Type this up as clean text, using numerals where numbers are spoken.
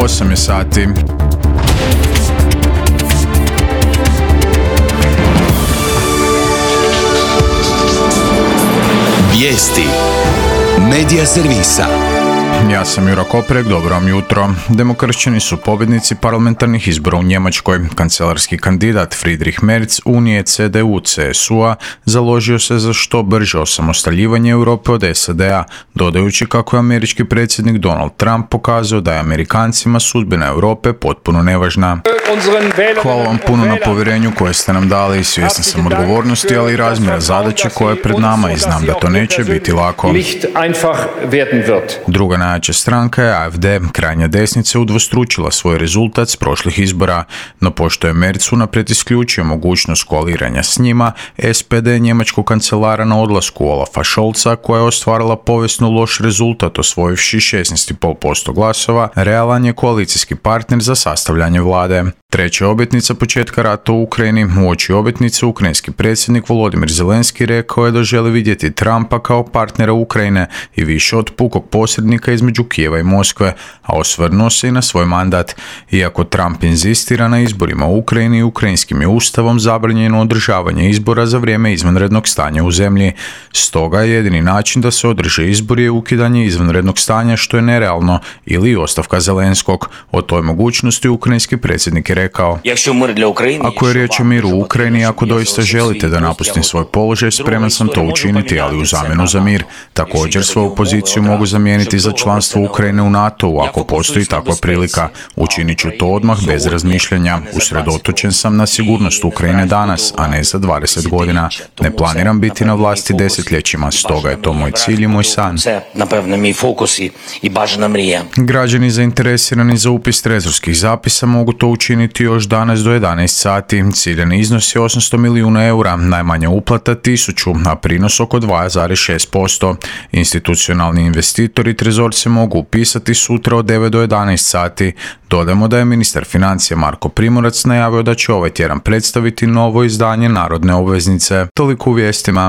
8 je sati. Vijesti Medija servisa. Ja sam Juro Koprek, dobro vam jutro. Demokršćani su pobjednici parlamentarnih izbora u Njemačkoj. Kancelarski kandidat Friedrich Merz Unije CDU-CSU-a založio se za što brže osamostaljivanje Europe od SAD-a, dodajući kako je američki predsjednik Donald Trump pokazao da je Amerikancima sudbina Europe potpuno nevažna. Hvala vam puno na povjerenju koje ste nam dali, svjestan sam odgovornosti, ali i razmjera zadaće koja je pred nama i znam da to neće biti lako. Druga najjača stranka je AfD. Krajnja desnica udvostručila svoj rezultat s prošlih izbora, no pošto je Merz unaprijed isključio mogućnost koaliranja s njima, SPD njemačkog kancelara na odlasku Olafa Scholza, koja je ostvarila povijesno loš rezultat osvojivši 16,5% glasova, realan je koalicijski partner za sastavljanje vlade. Treća obljetnica početka rata u Ukrajini. Uoči obljetnice ukrajinski predsjednik Volodymyr Zelenski rekao je da želi vidjeti Trumpa kao partnera Ukrajine i više od pukog posrednika između Kijeva i Moskve, a osvrnuo se i na svoj mandat. Iako Trump inzistira na izborima u Ukrajini, ukrajinskim je ustavom zabranjeno održavanje izbora za vrijeme izvanrednog stanja u zemlji. Stoga je jedini način da se održe izbori je ukidanje izvanrednog stanja, što je nerealno, ili ostavka Zelenskog. O toj mogućnosti ukrajinski predsjednik je rekao: ako je riječ o miru u Ukrajini, ako doista želite da napustim svoj položaj, spreman sam to učiniti, ali u zamjenu za mir. Također svoju poziciju mogu zamijeniti za članstvo Ukrajine u NATO-u ako postoji takva prilika. Učinit ću to odmah bez razmišljanja. Usredotočen sam na sigurnost Ukrajine danas, a ne za 20 godina. Ne planiram biti na vlasti desetljećima, stoga je to moj cilj i moj san. Građani zainteresirani za upis trezorskih zapisa mogu to učiniti još danas do 11 sati. Ciljani iznos je 800 milijuna eura, najmanja uplata 1000, a prinos oko 2,6%. Institucionalni investitori trezorce mogu upisati sutra od 9 do 11 sati. Dodamo da je ministar financija Marko Primorac najavio da će ovaj tjedan predstaviti novo izdanje narodne obveznice. Toliko u vijestima.